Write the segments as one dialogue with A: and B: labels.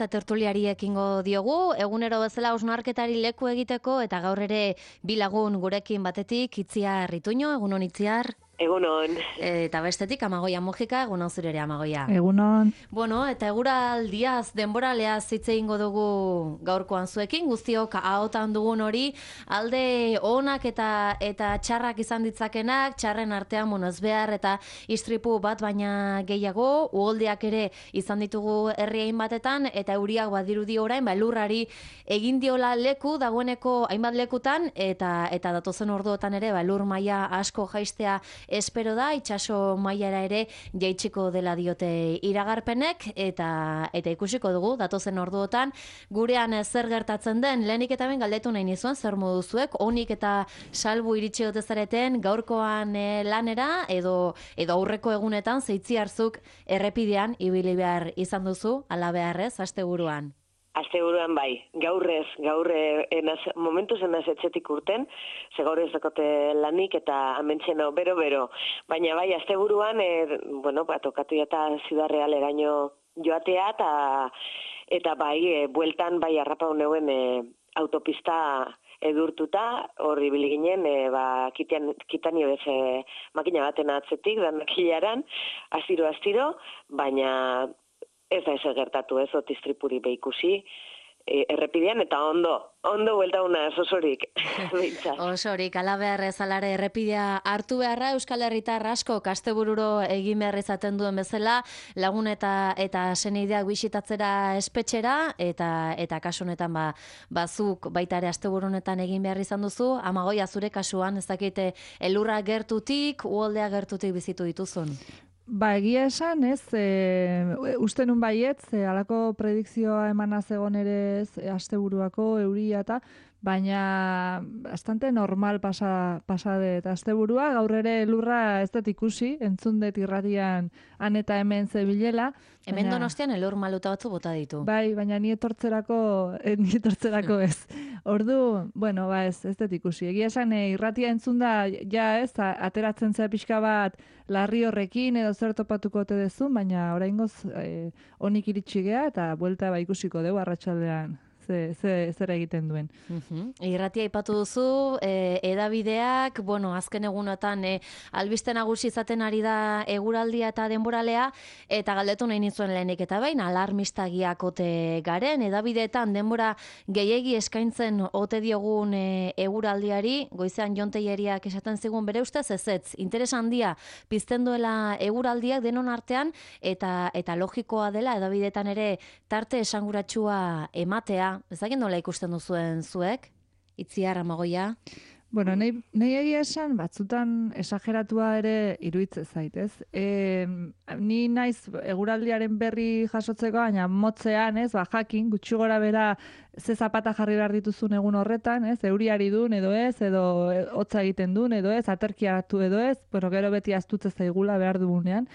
A: Eta tertuliari ekingo diogu, egunero bezala hausnarketari leku egiteko, eta gaur ere bi lagun gurekin batetik, Itziar Ituño, egunon Itziar.
B: Egunon.
A: Eta bestetik, Amagoia Mujika, egunon zure ere Amagoia.
C: Egunon.
A: Bueno, eta eguraldiaz, denboraleaz hitz egingo dugu gaurkoan zuekin, guztiok ahotan dugun hori, alde onak eta txarrak izan ditzakenak, txarren artean, ez behar eta istripu bat baina gehiago, uholdeak ere izan ditugu herri hainbatetan, eta euriak badirudi orain, lurrari egin diola leku, dagoeneko hainbat lekutan, eta datozen orduotan ere, lur maila asko jaistea espero da, itsaso mailara ere jaitsiko dela diote iragarpenek, eta ikusiko dugu datozen orduotan gurean zer gertatzen den. Lehenik eta ben galdetu nahi nizuen, zer modu zuek, onik eta salbu iritsi ote zareten gaurkoan lanera, edo aurreko egunetan zeitziarzuk errepidean ibili behar izan duzu, ala beharrez, asteburuan.
B: Asteburuan bai, gaur momentuz enaz etxetik urten, ze gaur ez dakote lanik eta amentzeno bero-bero. Baina bai, asteburuan, tokatu eta Ciudad Real eraino joatea, eta bai, bueltan bai harrapau neuen autopista edurtuta, horri biliginen, kitanio bez makina baten atzetik, danak hilaran, astiro, baina ez da eso gertatu, ez otistripuri behikusi, errepidean, eta ondo buelta una osorik.
A: Osorik, ala behar ezalare errepidea hartu beharra, Euskal Herritar asko kastebururo egin behar izaten duen bezala, lagun eta seneideak bisitatzera espetxera, eta kasu honetan bazuk baita ere asteburunetan egin behar izan duzu, Amagoia zure kasuan, ez dakite elurra gertutik, uholdea gertutik bizitu dituzun.
C: Egia esan, ez, uste nun baietz, halako predikzioa emana zegon ere asteburuako euria eta, baina bastante normal pasade eta asteburua, gaur ere lurra ez dut ikusi, entzun dut irratian han eta hemen zebilela.
A: Hemen Donostian elur maluta batzu bota ditu.
C: Bai, baina ni etortzerako ez. Ordu, ez dut ikusi. Egia esan irratia entzun da, ez, ateratzen zea pixka bat larri horrekin edo zer topatuko ote dezun, baina oraingoz onik iritsi gea eta buelta ikusiko dugu arratsaldean. Zer egiten duen.
A: Irratia aipatu duzu, edabideak, azken egunotan albiste nagusi izaten ari da eguraldia eta denboralea, eta galdetu nahi nizuen lehenik eta behin, alarmistagiak ote garen, edabideetan denbora gehiegi eskaintzen ote diogun eguraldiari, goizean Jon Telleriak esaten zigun bere ustez ezetz, interes handia pizten duela eguraldiak denon artean, eta logikoa dela edabideetan ere tarte esanguratsua ematea. Ezagin nola ikusten duzuen zuek? Itziar, Amagoia?
C: Nahi egia esan, batzutan esageratua ere iruditzen zaitez. Ni naiz eguraldiaren berri jasotzeko, baina motzean, jakin, gutxi gora bera ze zapata jarri behar dituzun egun horretan, euriari duen edo ez, edo hotza egiten duen edo ez, aterkia hartu edo ez, gero beti astutze zaigula behar dugunean.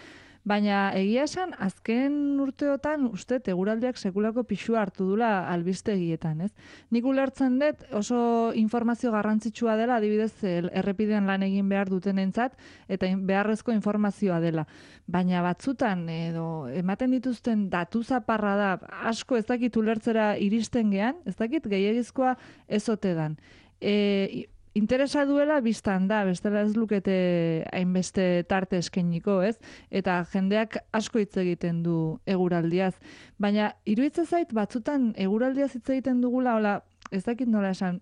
C: Baina egia esan, azken urteotan uste eguraldiak sekulako pixua hartu dula albistegietan, ez? Nik ulertzen dut oso informazio garrantzitsua dela, adibidez errepidean lan egin behar dutenentzat, eta beharrezko informazioa dela. Baina batzutan, edo ematen dituzten datu zaparra da, asko ez dakit ulertzera iristen gean, ez dakit gehiagizkoa ez ote dan. Interesa duela biztan da, bestela ez lukete hainbeste tarte eskainiko, ez? Eta jendeak asko hitz egiten du eguraldiaz. Baina iruditzen zait batzutan eguraldiaz hitz egiten dugula, ez dakit nola esan,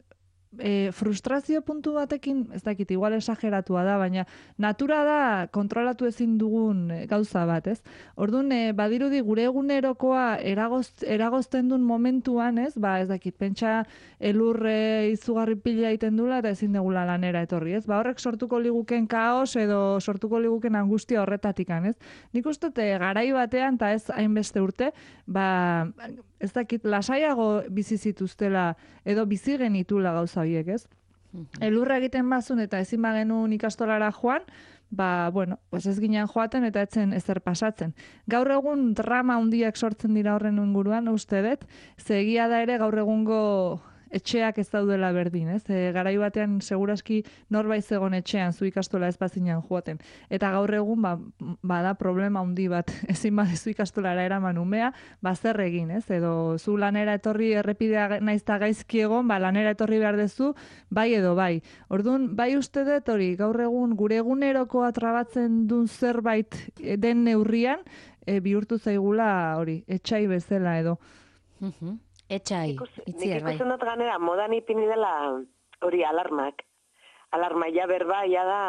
C: frustrazio puntu batekin, ez dakit, igual esageratua da, baina natura da kontrolatu ezin dugun gauza bat, ez? Orduan, badirudi gure egunerokoa eragozten duen momentuan, ez? Ez dakit, pentsa elurre izugarri pila egiten dula eta ezin degula lanera etorri, ez? Horrek sortuko liguken kaos edo sortuko liguken angustia horretatikan, ez? Nik uste garai batean, eta ez hainbeste urte, ez dakit, lasaiago bizi zituztela edo bizi genitula gauza horiek, ez? Elurra egiten bazun eta ezin bagenuen ikastolara joan, ez ginen joaten eta etzen ezer pasatzen. Gaur egun drama handiak sortzen dira horren inguruan, uste dut, ze egia da ere gaur egungo etxeak ez daudela berdin, ez? Garai batean segurazki norbait zegon etxean zu ikastola ez bazinan joaten. Eta gaur egun bada problema handi bat, ezin badezu ikastolara eraman umea, zer egin, ez? Edo zu lanera etorri errepidea naizta gaizki egon, lanera etorri behar dezu, bai edo bai. Orduan, bai uste dut hori, gaur egun gure egunerokoa trabatzen duen zerbait den neurrian, bihurtu zaigula hori, etxai bezala edo.
A: Etxai, itziar, bai.
B: Nik ikusten dut ganera, modan ipini dela hori alarmak. Alarma ja berba, ja da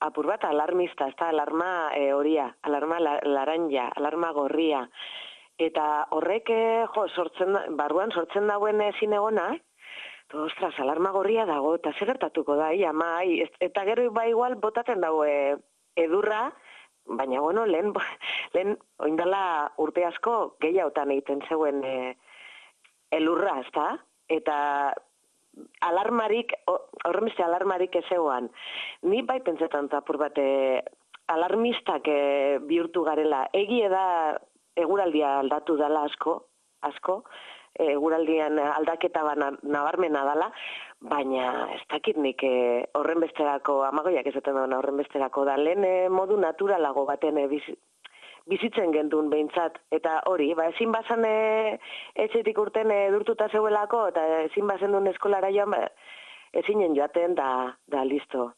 B: apur bat alarmista, ez da alarma horia, alarma laranja, alarma gorria. Eta horrek, barruan sortzen dauen ezin egona, ostras, alarma gorria dago, eta zer gertatuko da, eta gero bai igual botaten dago edurra, baina bueno, lehen oindala urte asko gehiagotan egiten zeuen elurra, ez da? Eta alarmarik, horremeste alarmarik ezegoan. Ni bai pentsetan apur bat alarmistak bihurtu garela. Egie da eguraldia aldatu dela asko, eguraldian aldaketa nabarmena dela, baina ez dakit nik horren besterako, amagoiak ezaten duen horren besterako da, lehen modu naturalago baten bizitzen gendun behintzat, eta hori, ezin bazan etxetik urten durtuta zeuelako, eta ezin bazen duen eskolara joan, ezinen joaten da listo.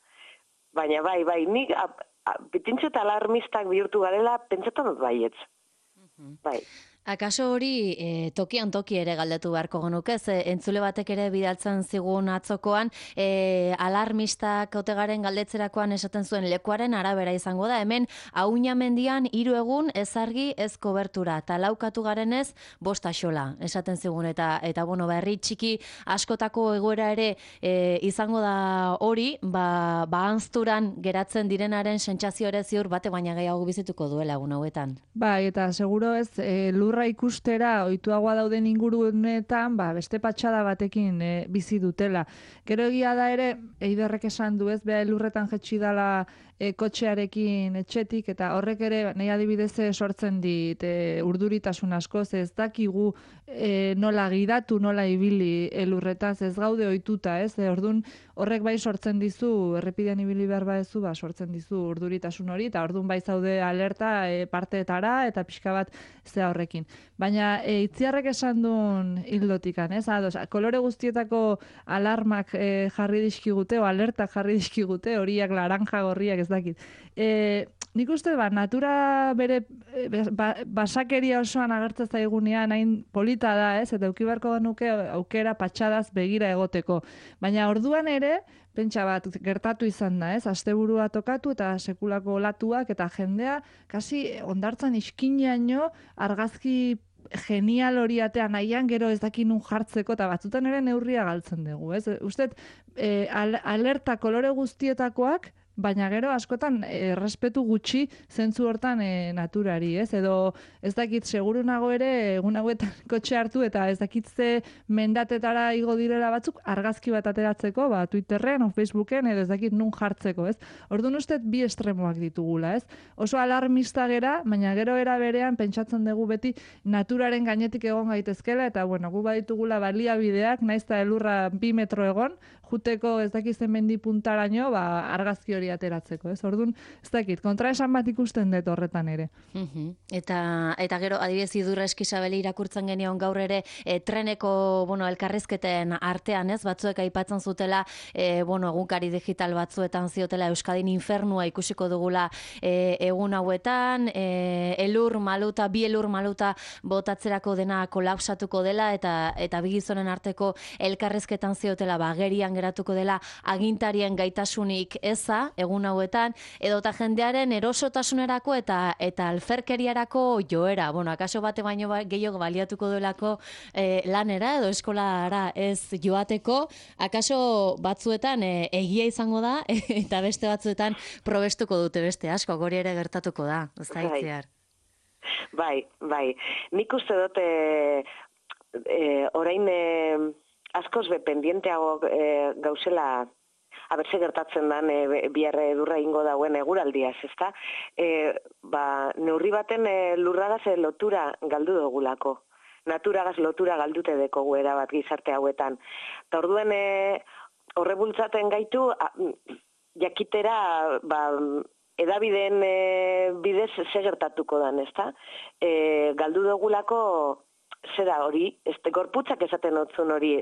B: Baina bai, nik bitintxo eta alarmistak bihurtu garela, pentsetan dut baietz. Bai.
A: Akaso hori tokian toki ere galdetu beharko genuke, entzule batek ere bidaltzen zigun atzokoan, alarmistak otegaren galdetzerakoan esaten zuen lekuaren arabera izango da, hemen Auña mendian 3 egun ez argi ez kobertura, eta laukatu garenez 5 axola, esaten zigun, eta bueno, herri txiki askotako egoera ere izango da hori, anzturan geratzen direnaren sentsazio ere ziur bate baina gehiago bizituko duela egun hauetan.
C: Bai, eta seguro ez, lurra ikustera ohituagoa dauden ingurunetan, beste patxada batekin bizi dutela. Gero egia da ere, Eiderrek esan du ez, beha lurretan jetxi dala kotxearekin etxetik, eta horrek ere nahi adibidez sortzen dit urduritasun asko, ez dakigu nola gidatu, nola ibili lurretaz, ez gaude ohituta, ez? Ordun horrek bai sortzen dizu, errepidean ibili behar badezu, sortzen dizu urduritasun hori, eta ordun bai zaude alerta parteetara, eta pixka bat zea horrekin. Baina Itziarrek esan duen hildotikan, ez? Kolore guztietako alarmak jarri dizkigute, o alertak jarri dizkigute, horiak laranja gorriak ez dakit. Nik uste, natura bere basakeria osoan agertzen zaigunean hain polita da, ez? Eta eduki beharko genuke aukera patxadaz begira egoteko. Baina orduan ere, pentsa bat gertatu izan da, ez? Asteburua tokatu eta sekulako olatuak eta jendea kasi ondartzan iskinaino argazki genial hori atea nahian gero ez dakin nun jartzeko eta batzutan ere neurria galtzen dugu, ez? Usted, alerta kolore guztietakoak, baina gero askotan errespetu gutxi zentzu hortan naturari, ez? Edo ez dakit seguru nago ere egun hauetan kotxe hartu eta ez dakit ze mendatetara igo direla batzuk argazki bat ateratzeko, Twitterren o Facebooken edo ez dakit nun jartzeko, ez? Orduan uste bi estremoak ditugula, ez? Oso alarmista gera, baina gero era berean pentsatzen dugu beti naturaren gainetik egon gaitezkela eta bueno, gu baditugula baliabideak, naiz eta elurra 2 metro egon, juteko ez dakizen mendi puntaraino, argazki hori ateratzeko, ez? Orduan, ez dakit, kontraesan bat ikusten dut horretan ere.
A: Eta gero, adibidez Idurra Eskisabeli irakurtzen genion gaur ere, treneko, elkarrizketen artean, ez? Batzuek aipatzen zutela, egunkari digital batzuetan ziotela Euskadin infernua ikusiko dugula egun hauetan, bi elur maluta botatzerako dena kolapsatuko dela, eta bi gizonen arteko elkarrizketan ziotela, gerian geratuko dela agintarien gaitasunik eza, egun hauetan, edota jendearen erosotasunerako eta alferkeriarako joera. Akaso bate baino gehiago baliatuko duelako lanera edo eskolara ez joateko, akaso batzuetan egia izango da, eta beste batzuetan probestuko dute beste asko, gori ere gertatuko da, ez da Itziar.
B: Bai. Nik uste dut orain askoz pendienteago gauzela abertze gertatzen dan biarre edurra ingo dauen eguraldiaz, ezta? Neurri baten lurragaz lotura galdu dugulako. naturagaz lotura galdute dekogu erabat gizarte hauetan. Eta orduen horre bultzaten gaitu, jakitera, edabideen bidez segertatuko dan, ezta? Galdu dugulako, zera hori, gorputzak esaten otzun hori,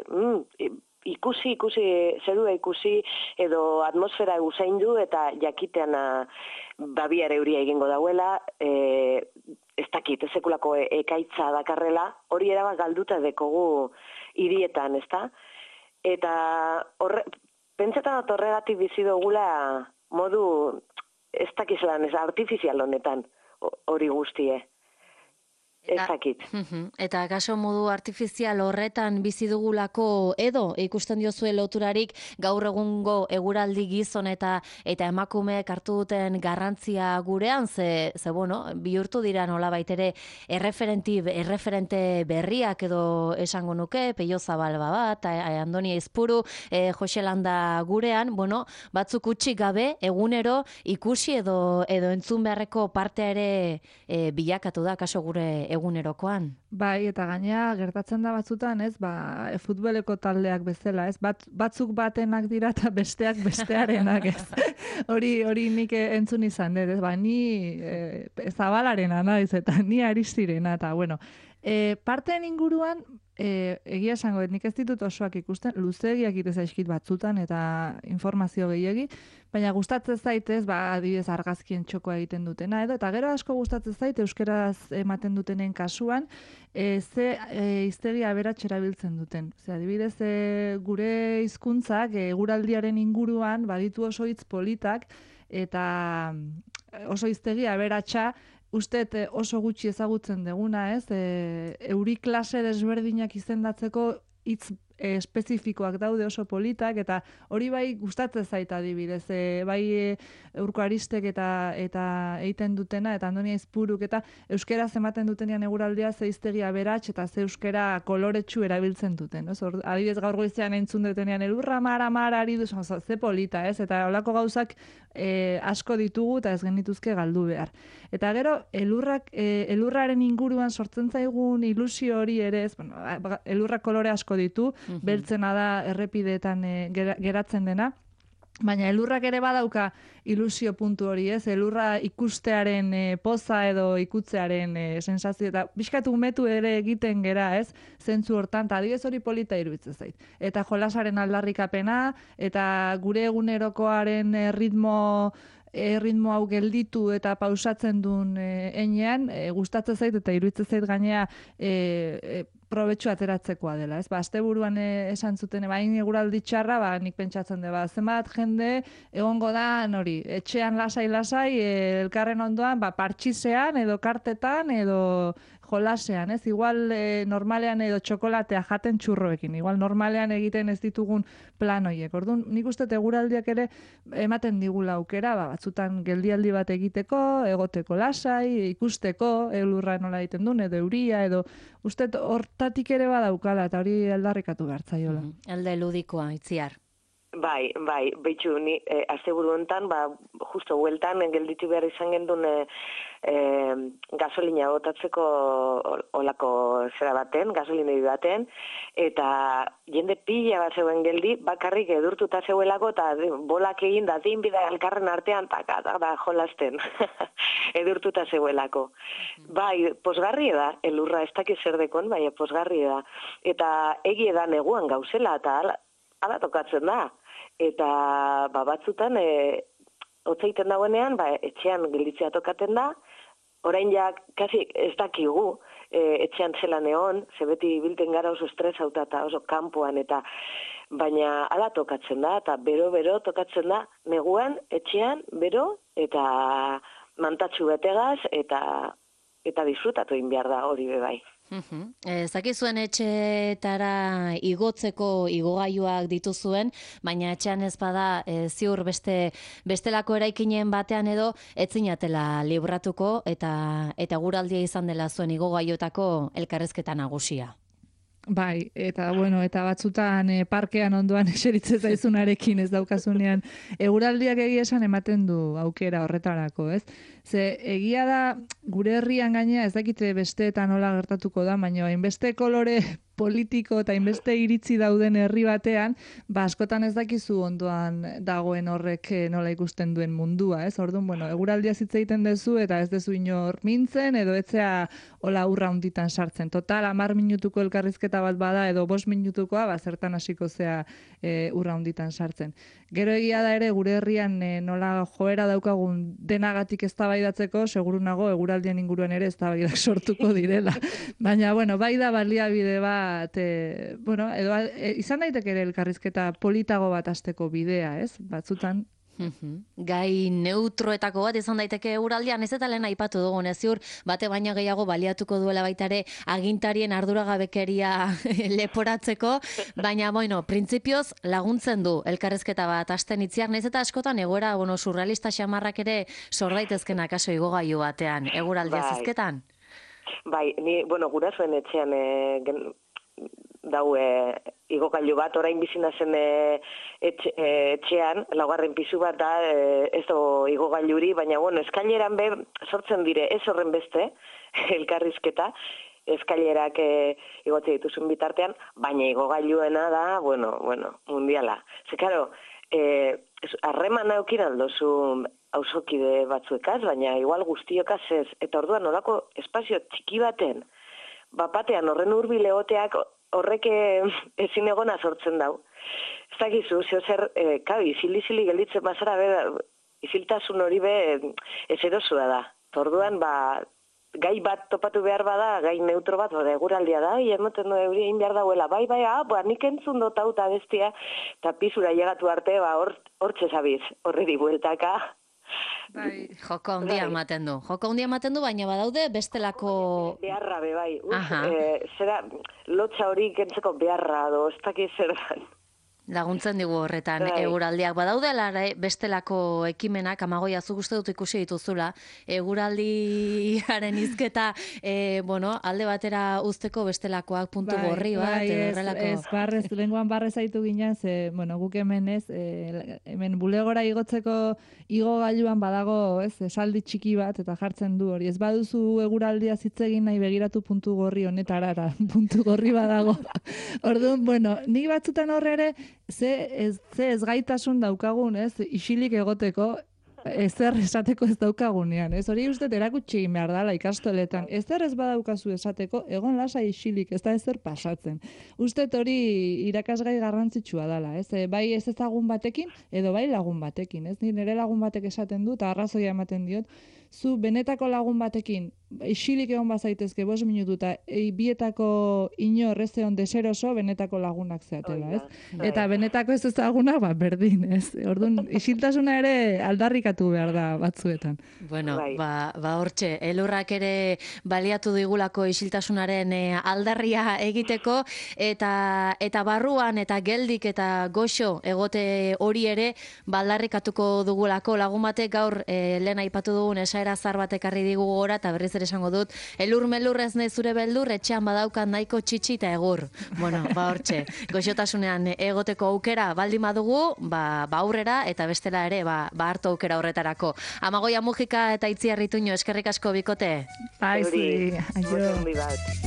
B: ikusi, zerua ikusi, edo atmosfera usaindu eta jakitean babiar euria egingo dauela, ez dakit, sekulako ekaitza dakarrela, hori erabat galduta dekogu hirietan, ezta? Eta pentsetan horregatik bizi dugula modu, ez dakizelan, ez artifizial honetan, hori guztie. Ez dakit.
A: Eta kaso modu artifizial horretan bizi dugulako edo ikusten diozue loturarik gaur egungo eguraldi gizon eta emakumeek hartu duten garrantzia gurean, ze bueno, bihurtu dira nolabait ere erreferente berriak edo esango nuke, Peio Zabalba bat, Andoni Aizpuru, Jose Landa gurean, bueno, batzuk utzi gabe egunero ikusi edo entzun beharreko partea ere bilakatu da kaso gure egunerokoan.
C: Bai, eta gainea gertatzen da batzutan, ez, futboleko taldeak bezala, ez, batzuk batenak dira eta besteak bestearenak, ez. Hori nik entzun izan dut, ez, ni Zabalarena naiz eta ni Aristirena, eta bueno, parteen inguruan, egia esango, nik ez ditut osoak ikusten, luzegiak ite zaizkit batzutan eta informazio gehiegi, baina gustatzen zaitez, adibidez argazkien txokoa egiten dutena, eta gero asko gustatzen zait euskaraz ematen dutenen kasuan, ze hiztegi aberats erabiltzen duten. Adibidez, gure hizkuntzak eguraldiaren inguruan baditu oso hitz politak eta oso hiztegi aberatsa usteet oso gutxi ezagutzen deguna, ez? Euri klase desberdinak izendatzeko hitz espezifikoak daude oso politak, eta hori bai gustatzen zait adibidez, bai Urko Aristek eta egiten dutena, eta Andoni Aizpuruk, eta euskeraz ematen dutenean eguraldia ze hiztegi aberats eta ze euskera koloretsu erabiltzen duten. Adibidez gaur goizean entzun dutenean elurra mara, ze polita, ez? Eta holako gauzak asko ditugu eta ez genituzke galdu behar. Eta gero, elurraren inguruan sortzen zaigun ilusio hori ere, ez? Bueno, elurrak kolore asko ditu, beltzena da errepideetan geratzen dena, baina elurrak ere badauka ilusio puntu hori, ez? Elurra ikustearen poza edo ikutzearen sensazio, eta bizkat umetu ere egiten gera, ez? Zentzu hortan, eta adibidez hori polita iruditzen zait. Eta jolasaren aldarrikapena, eta gure egunerokoaren ritmo hau gelditu eta pausatzen duen enean, gustatzen zait eta iruditzen zait gainea probetxu ateratzekoa dela, ez? Asteburuan esan zuten, bain eguraldi txarra, nik pentsatzen dut, zenbat jende egongo da, etxean lasai, elkarren ondoan, partxisean, edo kartetan, edo jolasean, ez? Igual normalean edo txokolatea jaten txurroekin, igual normalean egiten ez ditugun plan horiek. Orduan, nik uste eguraldiak ere ematen digula aukera, batzutan geldialdi bat egiteko, egoteko lasai, ikusteko, elurra nola egiten duen, edo euria, edo uste hortatik ere badaukala, eta hori aldarrikatu behartzaiola.
A: Alde ludikoa, Itziar.
B: Bai, behitxu, ni asteburu hontan, justo hueltan gelditu behar izan gendun gasolina botatzeko olako zera baten, gasolinei baten, eta jende pila bat zeuen geldi, bakarrik edurtuta zeuelako, eta bolak egin da dinbida elkarren artean, da jolasten, edurtuta zeuelako. Bai, posgarri da, elurra ez dakiz zer dekon, bai, posgarri da. Eta egie da neguan gauzela, eta ala tokatzen da. Eta batzutan, hotzaiten dagoenean, etxean gelditzea tokaten da, orain ja, kasi ez dakigu, etxean zelan egon, ze beti bilten gara oso estresauta eta oso kanpoan, eta baina ala tokatzen da, eta bero tokatzen da, neguan, etxean, bero, eta mantatxu betegaz, eta disfrutatu egin behar da hori bebai.
A: Zakizuen etxeetara igotzeko igogailuak dituzuen, baina etxean ez bada ziur bestelako eraikinen batean edo etzinatela libratuko eta guraldia izan dela zuen igogailuetako elkarrezketa nagusia.
C: Bai, eta bueno, eta batzutan parkean ondoan eseritze zaizunarekin ez daukasunean, eguraldiak egia esan ematen du aukera horretarako, ez? Ze egia da gure herrian gainea ez dakite besteetan nola gertatuko da, baina hainbeste kolore politiko eta hainbeste iritzi dauden herri batean, askotan ez dakizu ondoan dagoen horrek nola ikusten duen mundua, ez? Orduan, bueno, eguraldia hitz egiten duzu eta ez dezu inor mintzen edo etzea hola urra hunditan sartzen. Total, 10 minutuko elkarrizketa bat bada edo 5 minutukoa, zertan hasiko zea urra hunditan sartzen. Gero egia da ere gure herrian nola joera daukagun denagatik eztabaidatzeko, seguru nago eguraldien inguruan ere eztabaidak sortuko direla. Baina, bueno, bai da baliabide bat, bueno, edo izan daiteke ere elkarrizketa politago bat hasteko bidea, ez? Batzutan
A: Gai neutroetako bat izan daiteke eguraldian, ez eta lehen aipatu dugun, ez ziur, bate baino gehiago baliatuko duela baitare agintarien arduragabekeria leporatzeko, baina, bueno, printzipioz laguntzen du elkarrezketa bat hasten itziar, naiz eta askotan egoera, bueno, surrealista xamarrak ere sor daitezken akaso igogailu batean, eguraldia zizketan?
B: Bai, ni, bueno, gurasoen etxean daue igogailu bat, orain bizina zen etxean, laugarren pisu bat da, ez do igogailuri, baina, bueno, eskaileran sortzen dire, ez horren beste, elkarrizketa, eskailerak igotzen dituzun bitartean, baina igogailuena da, bueno, mundiala. Ze, karo, harreman aukin aldozu auzokide batzuekaz, baina igual guztiokaz ez, eta orduan nolako espazio txiki baten, bapatean horren hurbil egoteak horrek ezin egona sortzen dau. Ez dakizu, zer, izili gelditzen bazara, iziltasun hori ez erosua da. Orduan, gai bat topatu behar bada, gai neutro bat, eguraldia da, emoten du euri egin behar dauela, bai, nik entzun dut hau eta bestia, eta pizura llegatu arte, hortxe zabiz, horreri bueltaka.
A: Joko handia ematen du, baina badaude bestelako...
B: Beharra, bai. Zera, lotxa hori kentzeko beharra, ez dakiz zer da.
A: Laguntzen digu horretan eguraldiak badaude bestelako ekimenak, Amagoia, zuk uste dut ikusi dituzula, eguraldiaren hizketa, alde batera uzteko bestelakoak puntu gorri bat, edo horrelako.
C: Lenguan barrez zaitu ginen, guk hemen hemen bulegora igotzeko igogailuan badago, esaldi txiki bat, eta jartzen du hori. Ez baduzu eguraldia zitzegin nahi begiratu puntu gorri honetarara, puntu gorri badago. Orduan, nik batzutan horre ere, ez gaitasun daukagun, isilik egoteko, ezer esateko ez daukagunean, hori uste erakutsi egin behar dela ikastoletan, ezer ez badaukazu esateko, egon lasa isilik, ez da ezer pasatzen. Uste hori irakasgai garrantzitsua dela, bai ez ezagun batekin, edo bai lagun batekin, nire lagun batek esaten du, eta arrazoia ematen diot, zu benetako lagun batekin, isilik egon bazaitezke 5 minutu eta bietako inor ez egon deseroso benetako lagunak zeatela, Eta benetako ez ezagunak, berdin, Orduan, isiltasuna ere aldarrikatu behar da batzuetan.
A: Bueno, hortxe, elurrak ere baliatu digulako isiltasunaren aldarria egiteko, eta barruan eta geldik eta goxo egote hori ere aldarrikatuko dugulako lagun batek gaur lehen aipatu dugun esaera zar batek arri digu gora, eta berriz ere esango dut, elur ez nezure beldur, etxean badaukan nahiko txitsi eta egur. Bueno, hortxe, goxotasunean egoteko aukera baldin badugu, aurrera, eta bestela ere, hartu aukera horretarako. Amagoia Mujika eta Itziar Ituño, eskerrik asko bikote.
C: Bai, aio.